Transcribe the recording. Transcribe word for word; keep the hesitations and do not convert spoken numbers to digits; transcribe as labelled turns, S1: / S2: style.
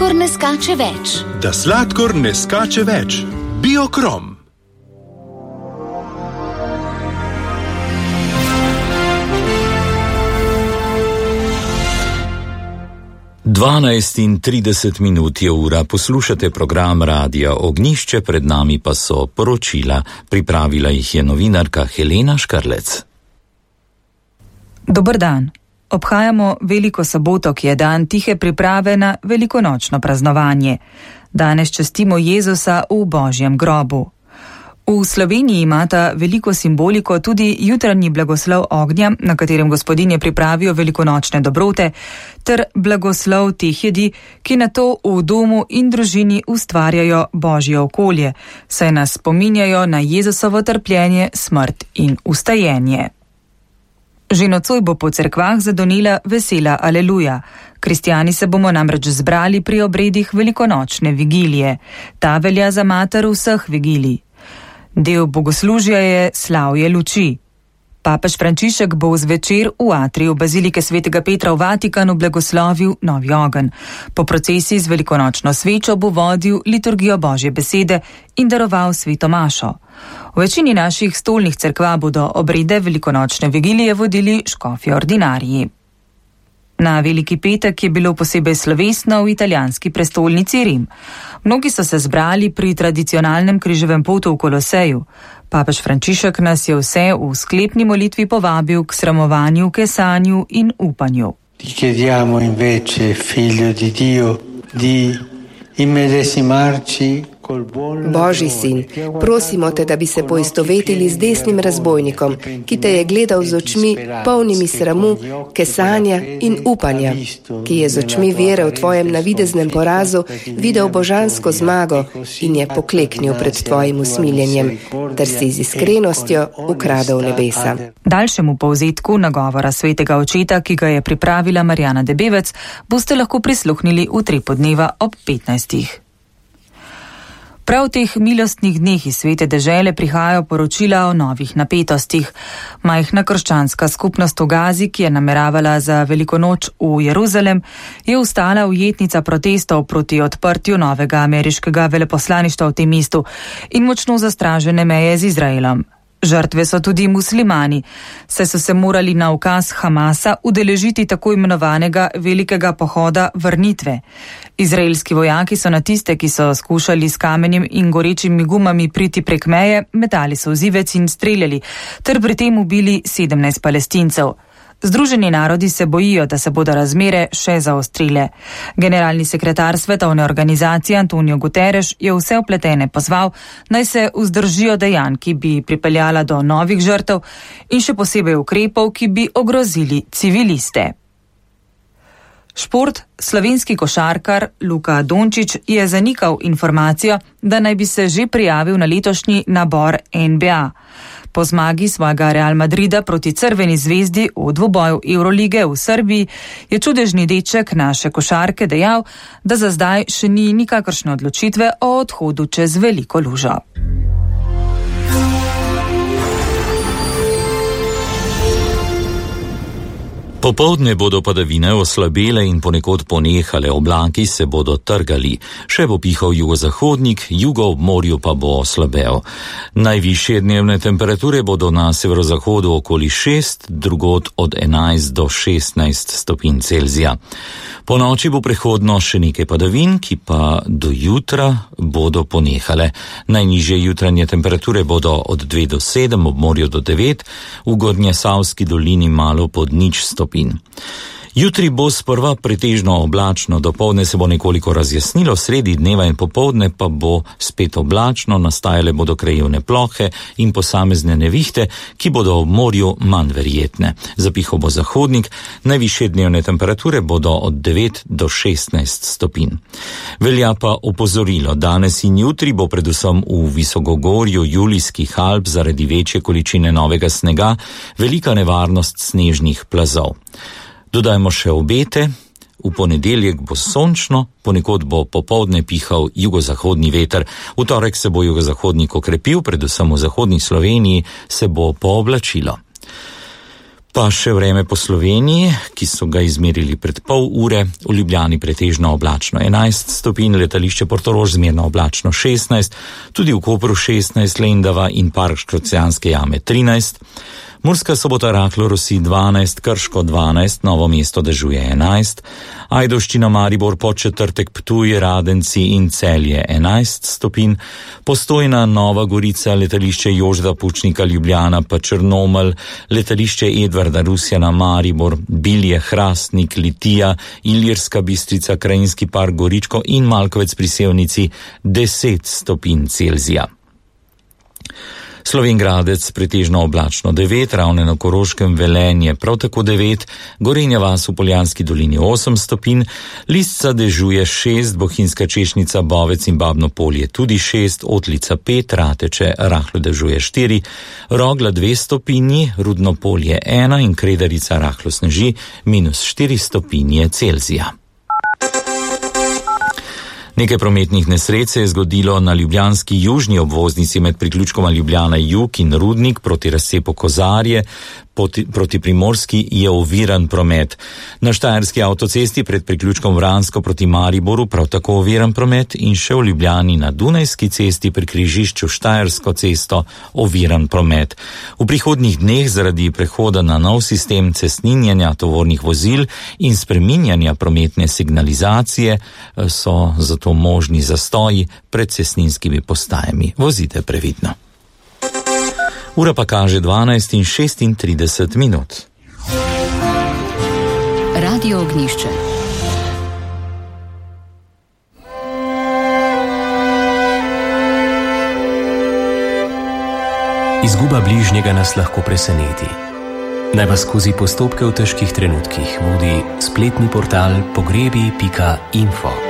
S1: sladkor ne skače več.
S2: Da sladkor ne skače več. Biokrom.
S3: dvanajst in trideset minut je ura, poslušate program Radia Ognjišče, pred nami pa so poročila. Pripravila jih je novinarka Helena Škarlec.
S4: Dober dan. Obhajamo Veliko soboto, ki je dan tihe priprave na velikonočno praznovanje. Danes častimo Jezusa v Božjem grobu. V Sloveniji imata veliko simboliko tudi jutranji blagoslov ognja, na katerem gospodinje pripravijo velikonočne dobrote, ter blagoslov teh jedi, ki nato v domu in družini ustvarjajo Božje okolje, saj nas spominjajo na Jezusovo trpljenje, smrt in vstajenje. Že nocoj bo po cerkvah zadonila vesela aleluja. Kristjani se bomo namreč zbrali pri obredih velikonočne vigilije. Ta velja za mater vseh vigilij. Del bogoslužja je slavje luči. Papež Frančišek bo zvečer v atriju bazilike svetega Petra v Vatikanu blagoslovil novi ogenj. Po procesiji z velikonočno svečo bo vodil liturgijo Božje besede in daroval sveto mašo. V večini naših stolnih cerkva bodo obrede velikonočne vigilije vodili škofje ordinariji. Na Veliki petek je bilo posebej slovesno v italijanski prestolnici Rim. Mnogi so se zbrali pri tradicionalnem križevem potu v Koloseju. Papež Frančišek nas je vse v sklepni molitvi povabil k sramovanju, kesanju in upanju.
S5: Ti chiediamo invece, figlio di Dio, di immedesimarci.
S6: Božji sin, prosimo te, da bi se poistovetili z desnim razbojnikom, ki te je gledal z očmi polnimi sramu, kesanja in upanja, ki je z očmi vere v tvojem navideznem porazu videl božansko zmago in je pokleknil pred tvojim usmiljenjem, ter si z iskrenostjo ukradel nebesa.
S4: Daljšemu povzetku nagovora svetega očeta, ki ga je pripravila Marjana Debevec, boste lahko prisluhnili v Trepodneva ob petnajstih. Prav v teh milostnih dneh iz svete dežele prihajajo poročila o novih napetostih. Majhna krščanska skupnost v Gazi, ki je nameravala za veliko noč v Jeruzalem, je ostala ujetnica protestov proti odprtju novega ameriškega veleposlaništva v tem mestu in močno zastražene meje z Izraelom. Žrtve so tudi muslimani, saj so se morali na ukaz Hamasa udeležiti tako imenovanega velikega pohoda vrnitve. Izraelski vojaki so na tiste, ki so skušali s kamenjem in gorečimi gumami priti prek meje, metali solzivec in streljali, ter pri tem ubili sedemnajst Palestincev. Združeni narodi se bojijo, da se bodo razmere še zaostrile. Generalni sekretar svetovne organizacije Antonio Guterres je vse vpletene pozval, naj se vzdržijo dejanj, ki bi pripeljala do novih žrtev in še posebej ukrepov, ki bi ogrozili civiliste. Šport. Slovenski košarkar Luka Dončić je zanikal informacijo, da naj bi se že prijavil na letošnji nabor N B A. Po zmagi svojega Real Madrida proti Crveni zvezdi v dvoboju Evrolige v Srbiji je čudežni deček naše košarke dejal, da za zdaj še ni nikakršne odločitve o odhodu čez veliko lužo.
S3: Popoldne bodo padavine oslabele in ponekod ponehale, oblaki se bodo trgali. Še bo pihal jugozahodnik, jugo ob morju pa bo slabel. Najvišje dnevne temperature bodo na severozahodu okoli šest, drugod od enajst do šestnajst stopinj Celzija. Po noči bo prehodno še nekaj padavin, ki pa do jutra bodo ponehale. Najnižje jutranje temperature bodo od dve do sedem, ob morju do devet, v Gornjesavski dolini malo pod nič stopinj. Jutri bo sprva pretežno oblačno, dopoldne se bo nekoliko razjasnilo, sredi dneva in popoldne pa bo spet oblačno, nastajale bodo krajevne plohe in posamezne nevihte, ki bodo ob morju manj verjetne. Zapihal bo zahodnik, najvišje dnevne temperature bodo od devet do šestnajst stopinj. Velja pa opozorilo, danes in jutri bo predvsem v Visokogorju Julijskih Alp zaradi večje količine novega snega velika nevarnost snežnih plazov. Dodajmo še obete. V ponedeljek bo sončno, ponekod bo popoldne pihal jugozahodni veter. V torek se bo jugozahodnik okrepil, predvsem v zahodni Sloveniji se bo pooblačilo. Pa še vreme po Sloveniji, ki so ga izmerili pred pol ure, v Ljubljani pretežno oblačno enajst stopinj, letališče Portorož zmerno oblačno šestnajst, tudi v Kopru šestnajst, Lendava in Park Škocjanske jame trinajst, Murska Sobota rahlo rosi dvanajst, Krško dvanajst, Novo mesto dežuje enajst, Ajdovščina Maribor Podčetrtek Ptuj, Radenci in Celje enajst stopinj, Postojna, Nova Gorica, letališče Jožeta Pučnika Ljubljana pa Črnomelj, letališče Edvarda Rusjana Maribor, Bilje, Hrastnik, Litija, Ilirska Bistrica, Krajinski park Goričko in Malkovec pri Sevnici deset stopinj Celzija. Slovenj Gradec pretežno oblačno devet, Ravne na Koroškem, Velenje prav tako devet, Gorenja vas v Poljanski dolini osem stopinj, Lisca dežuje šest, Bohinjska Češnica, Bovec in Babno Polje tudi šest, Otlica pet, Rateče rahlo dežuje štiri, Rogla dve stopinji, Rudno Polje ena in Kredarica rahlo sneži minus štiri stopinje Celzija. Nekaj prometnih nesreč se je zgodilo na ljubljanski južni obvoznici med priključkoma Ljubljana Jug in Rudnik proti razcepu Kozarje. Proti Primorski je oviran promet. Na štajerski avtocesti pred priključkom Vransko proti Mariboru prav tako oviran promet in še v Ljubljani na Dunajski cesti pri križišču Štajersko cesto oviran promet. V prihodnjih dneh zaradi prehoda na nov sistem cestninjenja tovornih vozil in spreminjanja prometne signalizacije so zato možni zastoji pred cestninskimi postajami. Vozite previdno. Ura pa kaže dvanajst in šestintrideset minut.
S1: Radio Ognjišče.
S7: Izguba bližnjega nas lahko preseneti. Naj vas skozi postopke v težkih trenutkih vodi spletni portal pogrebi pika info.